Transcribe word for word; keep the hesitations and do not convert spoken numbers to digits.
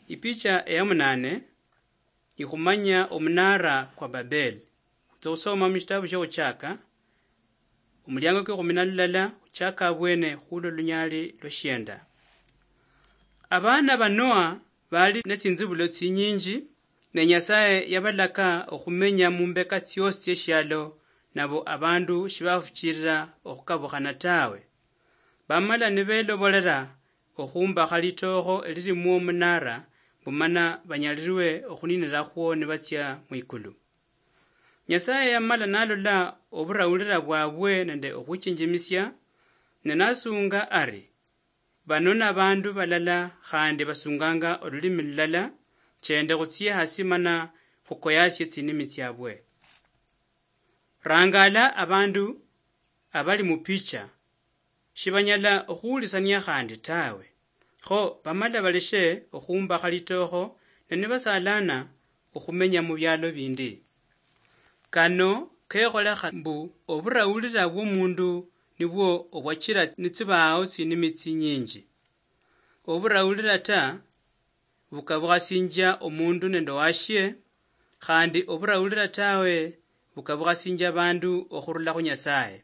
Ipicha eya munane, ikhumanya omunara kwa Babel. Khutsa khusoma mushitabu shia Khuchaka, omuliango kwa ekhumi na lulala, khuchaka abwene khulwa lunyali lwa shienda. Abana ba Noa bali ne tsinzibulo tsinyinji, ne Nyasaye yabalaka okhumenya mumbeka tsiosi tsieshialo, nabo abandu shibafuchirira okhukabukhana tawe. Bamala nibelobolela okhumbakha litookho elilimwo omunara, mbu mana banyalilwe okhuninirakhwo nibatsia mwikulu. Nyasaye yamala nalola oburawulira bwabwe nende okhwichinjimisia, ne nasunga ari, "Bano nabandu balala khandi basunganga olulimi lulala, chende khutsie hasi mana khukoyasie tsinimi tsiabwe." Rangala abandu abali mu picha, shibanyala okhuhulisania khandi tawe. Kho bamala baleshe okhumbakha litookho, ne nibasalana okhumenya mu bialo bindi. Kano kekholekha mbu oburawulira bw'omundu nibwo obwachira nitsibaawo tsinimi tsinyinji. Oburawulira ta, bukabukhasinjia omundu nende owashie, khandi oburawulira tawe, bukabukhasinjia abandu okhurula khu Nyasaye.